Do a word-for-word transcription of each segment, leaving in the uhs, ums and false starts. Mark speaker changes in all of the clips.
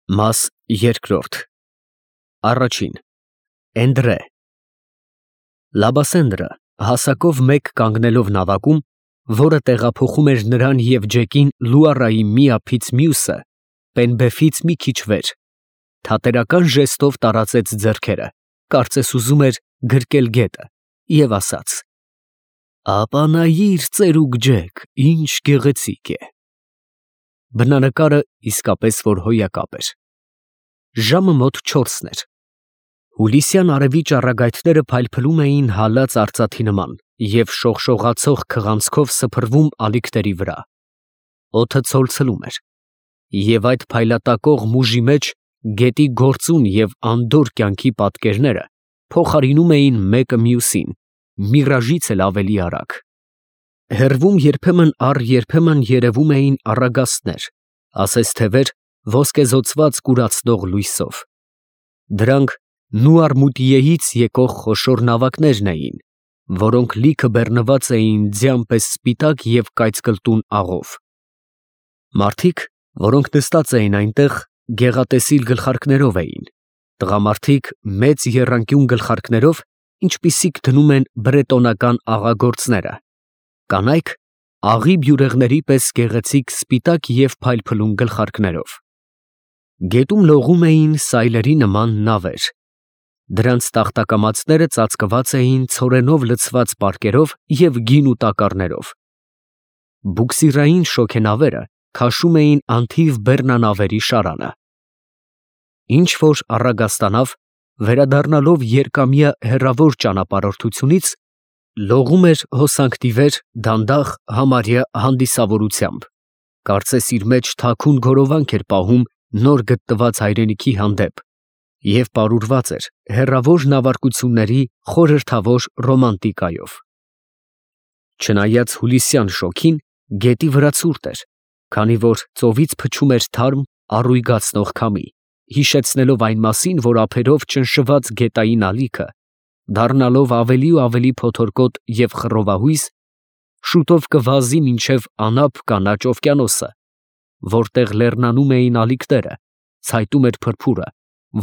Speaker 1: Մաս երկրորդ Առաջին Էնդրե Լաբասենդրը հասակով մեկ կանգնելով նավակում, որը տեղափոխում էր նրան և Ջեկին Լուարայի մի ափից մյուսը, Պենբեֆից մի քիչ վեր, թատերական ժեստով տարածեց ձեռքերը, կարծես ուզում էր գրկել գետը, և ասաց. «Ապանայիր ծերուկ Ջեք, ինչ գեղեցիկ է»։ Բնանկարը իսկապես որ հոյակապ էր։ Ժամը մոտ չորսն էր։ Հուլիսյան արևի ճառագայթները փայլփլում էին հալած արծաթի նման և շողշողացող քղանցքով սփռվում ալիքների վրա։ Օդը ցոլցնում էր, և այդ փայլատակող մուժի մեջ գետի գործուն և անդորր կյանքի պատկերները փոխարինում էին մեկը մյուսին, միրաժից էլ ավելի արագ։ Հեռվում երբեմն առ երբեմն երևում էին առագաստներ, ասես թևեր ոսկեզօծված կուրացնող լույսով։ Դրանք Նուարմուտիեից եկող խոշոր նավակներն էին, որոնք լիքը բեռնված էին ձյան պես սպիտակ և կայծկլտուն աղով։ Մարդիկ, որոնք նստած էին այնտեղ, գեղատեսիլ գլխարկներով էին, տղամարդիկ մեծ եռանկյուն գլխարկներով, ինչպիսիք դնում են բրետոնական աղագործները, կանայք աղի բյուրեղների պես գեղեցիկ սպիտակ և փայլփլուն գլխարկներով։ Գետում լողում էին սայլերի նման նավեր։ Դրանց տախտակամածները ծածկված էին ցորենով լցված պարկերով և գինու տակառներով։ Բուքսիրային շոգենավերը քաշում էին անթիվ բեռնանավերի շարանը։ Ինչ֊որ առագաստանավ, վերադառնալով երկամյա հեռավոր ճանապարհորդությունից, լողում էր հոսանքների վեր դանդաղ, համարյա հանդիսավորությամբ, կարծես իր մեջ թաքուն գորովանք էր պահում նոր գտնված հայրենիքի հանդեպ և պարուրված էր հեռավոր նավարկությունների խորհրդավոր ռոմանտիկայով։ Չնայած հուլիսյան շոգին, գետի վրա ցուրտ էր, քանի որ ծովից փչում էր թարմ, առուйգացնող քամի, հիշեցնելով այն մասին, որ ափերով ճնշված գետային ալիքը, դառնալով ավելի ու ավելի փոթորկոտ և խռովահույս, շուտով կվազի մինչև անափ կանաչ օվկիանոսը, որտեղ լեռնանում էին ալիքները, ցայտում էր փրփուրը,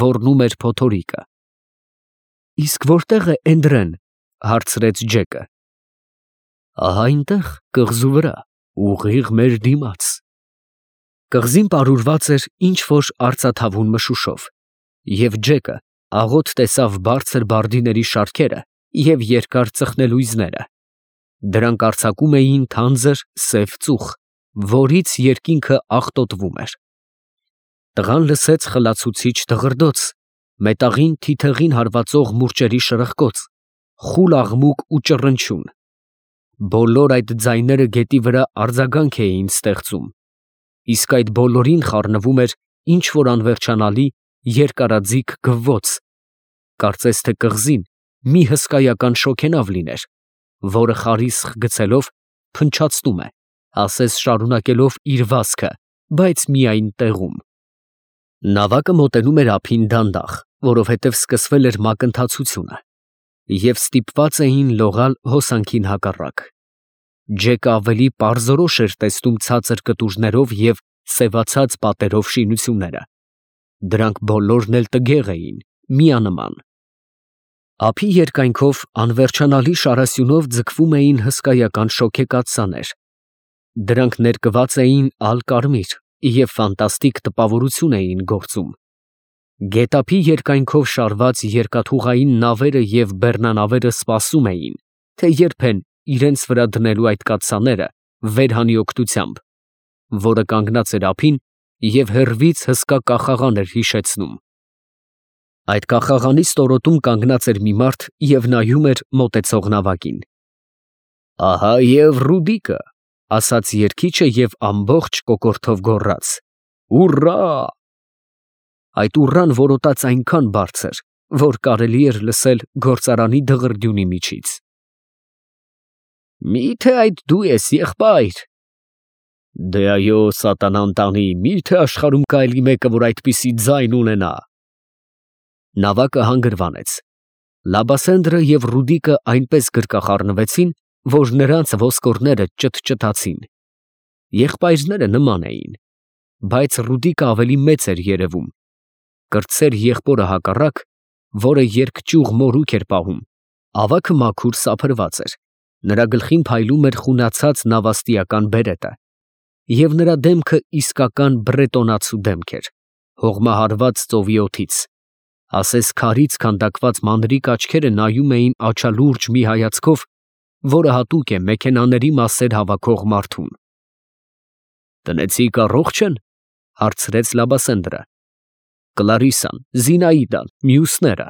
Speaker 1: ոռնում էր փոթորիկը։ ֊ Իսկ որտե՞ղ է Էնդրեն, ֊ հարցրեց Ջեկը։ ֊ Ահա այնտեղ, կղզու վրա, ուղիղ մեր դիմաց։ Կղզին պարուրված էր ինչ֊որ արծաթավուն մշուշով, և Ջեկը աղոտ տեսավ բարձր բարդիների շարքերը և երկար ծխնելույզները. դրանք արձակում էին թանձր սև ծուխ, որից երկինքը աղտոտվում էր։ Տղան լսեց խլացուցիչ դղրդոց, մետաղին թիթեղին հարվածող մուրճերի շրխկոց, խուլ աղմուկ ու ճռնչյուն։ Բոլոր այդ ձայները գետի վրա արձագանք էին ստեղծում, իսկ այդ բոլորին խառնվում էր ինչ֊որ անվերջանալի երկարաձիգ գվվոց, կարծես թե կղզին մի հսկայական շոգենավ լիներ, որը խարիսխ գցելով փնչացնում է, ասես շարունակելով իր վազքը, բայց միայն տեղում։ Նավակը մոտենում էր ափին դանդաղ, որովհետև սկսվել էր մակընթացությունը, և ստիպված էին լողալ հոսանքին հակառակ։ Ջեկը ավելի պարզորոշ էր տեսնում ցածր կտուրներով և սևացած պատերով շինությունները։ Դրանք բոլորն էլ տգեղ էին, միանման։ Ափի երկայնքով անվերջանալի շարասյունով ձգվում էին հսկայական շոգեկաթսաներ։ Դրանք ներկված էին ալ֊կարմիր և ֆանտաստիկ տպավորություն էին գործում։ Գետափի երկայնքով շարված երկաթուղային նավերը և բեռնանավերը սպասում էին, թե երբ են իրենց վրա դնելու այդ կաթսաները վեր հանի օգնությամբ, որը կանգնած էր ափին և հեռվից հսկա կախաղան էր հիշեցնում։ Այդ կախաղանի ստորոտում կանգնած էր մի մարդ և նայում էր մոտեցող նավակին։ ֊ Ահա և Ռուդիկը, ֊ ասաց երգիչը և ամբողջ կոկորդով գոռաց. «Ուռա»։ Այդ ուռան որոտաց այնքան բարձր, որ կարելի էր լսել գործարանի դղրդյունի միջից։ ֊ Մի՞թե այդ դու ես, եղբայր։ ֊ Դե այո, սատանան տանի, մի՞թե աշխարհում կա էլի մեկը, որ այդպիսի ձայն ունենա։ Նավակը հանգրվանեց։ Լաբասենդրը և Ռուդիկը այնպես գրկախառնվեցին, որ նրանց ոսկորները ճտճտացին։ Եղբայրները նման էին։ բայց Ռուդիկը ավելի մեծ էր երևում, կրտսեր եղբորը հակառակ, որը երկճյուղ մորուք էր պահում, ավագը մաքուր սափրված էր, նրա գլխին փայլում էր խունացած նավաստիական բերետը, և նրա դեմքը իսկական բրետոնացու դեմք էր, հողմահարված ծովի օդից, ասես քարից քանդակված մանրիկ աչքերը նայում էին աչալուրջ մի հայացքով, որը հատուկ է մեքենաների մասեր հավաքող մարդուն։ «Տնեցիք առողջ են?» հարցրեց Լաբասենդրը։ «Կլարիսան, Զինաիդան, մյուսները»։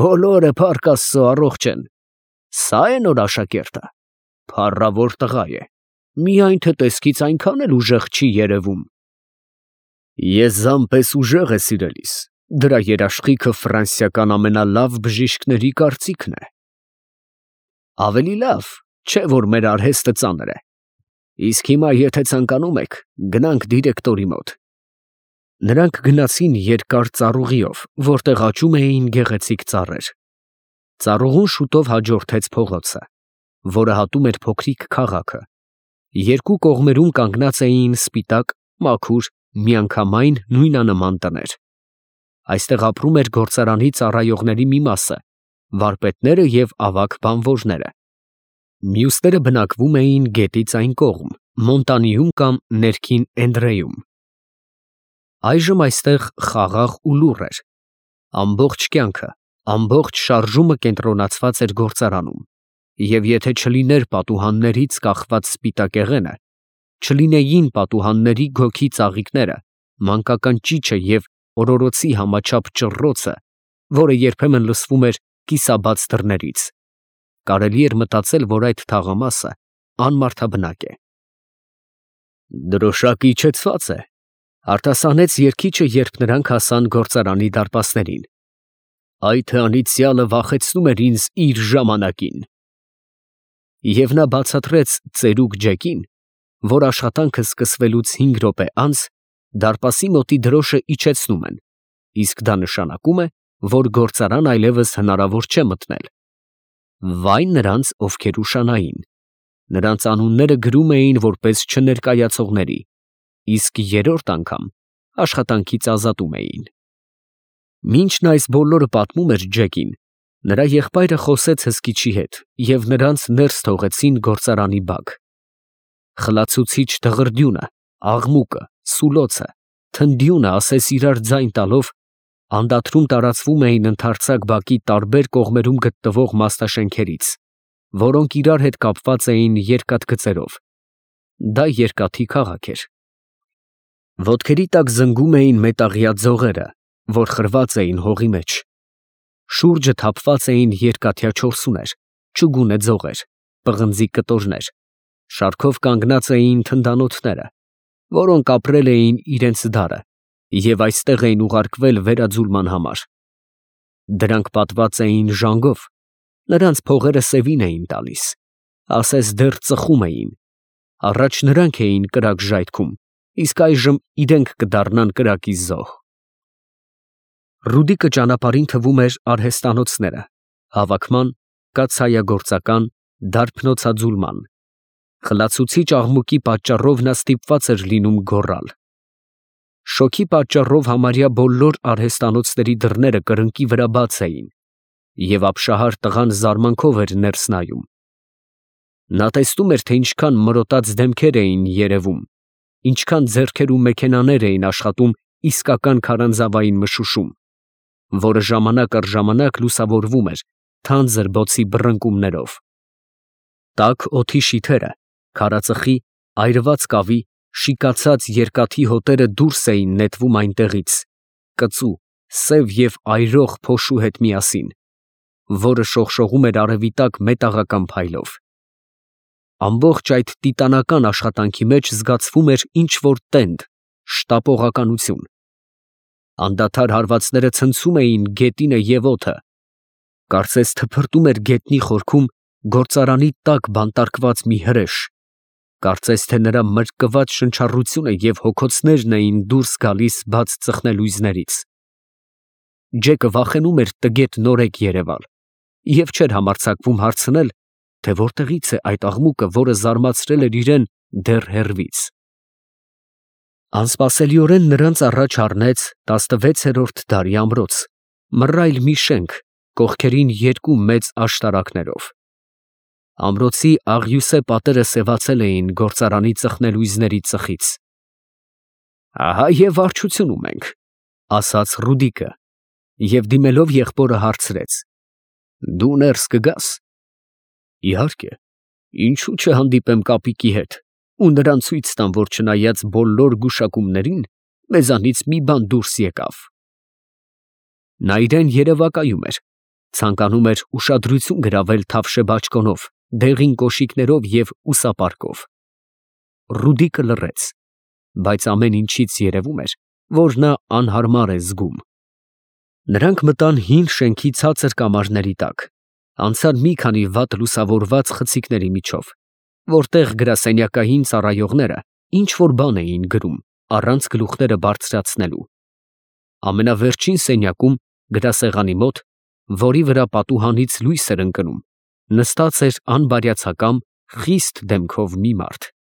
Speaker 1: «Բոլորը փառք Աստծո առողջ են։ Սա է նոր աշակերտը, փառավոր տղա է, միայն թե տեսքից այնքան էլ ուժեղ չի երևում»։ «Ես զամպես ուժեղ է սիրելիս, դրա երաշխիքը ֆրանսիական ամենալավ բժիշկների կարծիքն է»։ «Ավելի լավ, չէ՞ որ մեր արհեստը ծանր է։ Իսկ հիմա, եթե ցանկանում եք, գնանք դիրեկտորի մոտ»։ Նրանք գնացին երկար ծառուղիով, որտեղ աճում էին գեղեցիկ ծառեր։ Ծառուղուն շուտով հաջորդեց փողոցը, որը հատում էր փոքրիկ քաղաքը։ Երկու կողմերում կանգնած էին սպիտակ, մաքուր, միանգամայն նույնանման տներ։ Այստեղ ապրում էր գործարանի ծառայողների մի մասը, վարպետները և ավագ բանվորները։ Մյուսները բնակվում էին գետից այն կողմ, Մոնտանիում կամ ներքին Էնդրեում։ Այժմ այստեղ խաղաղ ու լուռ էր։ Ամբողջ կյանքը, ամբողջ շարժումը կենտրոնացված էր գործարանում, և եթե չլիներ պատուհաններից կախված սպիտակեղենը, չլինեին պատուհանների գոգի ծաղիկները, մանկական ճիչը և օրորոցի համաչափ ճռռոցը, որը երբեմն լսվում էր կիսաբաց դռներից, կարելի էր մտածել, որ այդ թաղամասը անմարդաբնակ է։ «Դրոշակը իջեցված է», արտասանեց երգիչը, երբ նրանք հասան գործարանի դարպասներին։ «Այդ անիծյալը վախեցնում էր ինձ իր ժամանակին»։ Եվ նա բացատրեց ծերուկ Ջեկին, որ աշխատանքը սկսվելուց հինգ րոպե անց դարպասի մոտի դրոշը իջեցնում են, իսկ դա նշանակում է, որ գործարան այլևս հնարավոր չէ մտնել։ Վայ նրանց, ովքեր ուշանային։ Նրանց անունները գրում էին որպես չներկայացողների, իսկ երրորդ անգամ աշխատանքից ազատում էին։ Մինչ նա այս բոլորը պատմում էր Ջեկին, նրա եղբայրը խոսեց հսկիչի հետ, և նրանց ներս թողեցին գործարանի բակ։ Խլացուցիչ դղրդյունը, աղմուկը, սուլոցը, թնդյունը ասես իրար ձայն տալով, անդադրում տարածվում էին ընդարձակ բակի տարբեր կողմերում գտնվող մասնաշենքերից, որոնք իրար հետ կապված էին երկաթգծերով։ Դա երկաթի քաղաք էր։ Ոտքերի տակ զնգում էին մետաղյա ձողերը, որ խրված էին հողի մեջ։ Շուրջը թափված էին երկաթյա չորսուներ, չուգունե ձողեր, պղնձի կտորներ, շարքով կանգնած էին թնդանոթները, որոնք ապրել էին իրենց դարը և այստեղ էին ուղարկվել վերաձուլման համար։ Դրանք պատված էին ժանգով, նրանց փողերը սևին էին տալիս, ասես դեռ ծխում էին։ Առաջ նրանք էին կրակ ժայթքում, իսկ այժմ իրենք կդառնան կրակի զոհ։ Ռուդիկը ճանապարհին թվում էր արհեստանոցները, հավաքման, կաթսայագործական, դարբնոցաձուլման։ Խլացուցիչ աղմուկի պատճառով նա ստիպված էր լինում գոռալ։ Շոգի պատճառով համարյա բոլոր արհեստանոցների դռները կրկնակի վրա բաց էին, և ապշահար տղան զարմանքով էր ներս նայում։ Նա տեսնում էր, թե ինչքան մրոտած դեմքեր էին երևում, ինչքան ձեռքեր ու մեքենաներ էին աշխատում իսկական քարանձավային մշուշում, որը ժամանակ առ ժամանակ լուսավորվում էր թանձր բոցի բռնկումներով։ Տաք օդի շիթերը, քարածխի, այրված կավի, շիկացած երկաթի հոտերը դուրս էին նետվում այնտեղից, կծու, սև և այրող փոշու հետ միասին, որը շողշողում էր արևի տակ մետաղական փայլով։ Ամբողջ այդ տիտանական աշխատանքի մեջ զգացվում էր ինչ֊որ տենդ, շտապողականություն։ Անդադար հարվածները ցնցում էին գետինը և օդը, կարծես թփրտում էր գետնի խորքում գործարանի տակ բանտարկված մի հրեշ, կարծես թե նրա մրկված շնչառությունը և հոգոցներն էին դուրս գալիս բաց ծխնելույզներից։ Ջեկը վախենում էր տգետ նորեկ երևալ և չէր համարձակվում հարցնել, թե որտեղից է այդ աղմուկը, որը զարմացրել էր իրեն դեռ հեռվից։ Անսպասելիորեն նրանց առաջ առնեց տասնվեցերորդ դարի ամրոց, մռայլ մի շենք, կողքերին երկու մեծ աշտարակներով։ Ամրոցի աղյուսե պատերը սևացել էին գործարանի ծխնելույզների ծխից։ «Ահա և վարչությունում ենք», ֊ ասաց Ռուդիկը, և դիմելով եղբորը հարցրեց. «Դու ներս կգա՞ս»։ «Իհարկե, ինչո՞ւ չհանդիպեմ կապիկի հետ ու նրան ցույց տամ, որ չնայած բոլոր գուշակումներին, մեզանից մի բան դուրս եկավ»։ Նա իրան երևակայում էր, ցանկանում էր ուշադրություն գրավել թավշե բաճկոնով, դեղին կոշիկներով և ուսապարկով։ Ռուդիկը լռեց, բայց ամեն ինչից երևում էր, որ նա անհարմար է զգում։ Նրանք մտան հին շենքի ցածր կամարների տակ, անցան մի քանի վատ լուսավորված խցիկների միջով, որտեղ գրասենյակային ծառայողները ինչ֊որ բան էին գրում, առանց գլուխները բարձրացնելու։ Ամենավերջին սենյակում, գրասեղանի մոտ, որի վրա պատուհանից լույս էր ընկնում, նստած էր անբարյացակամ, խիստ դեմքով մի մարդ։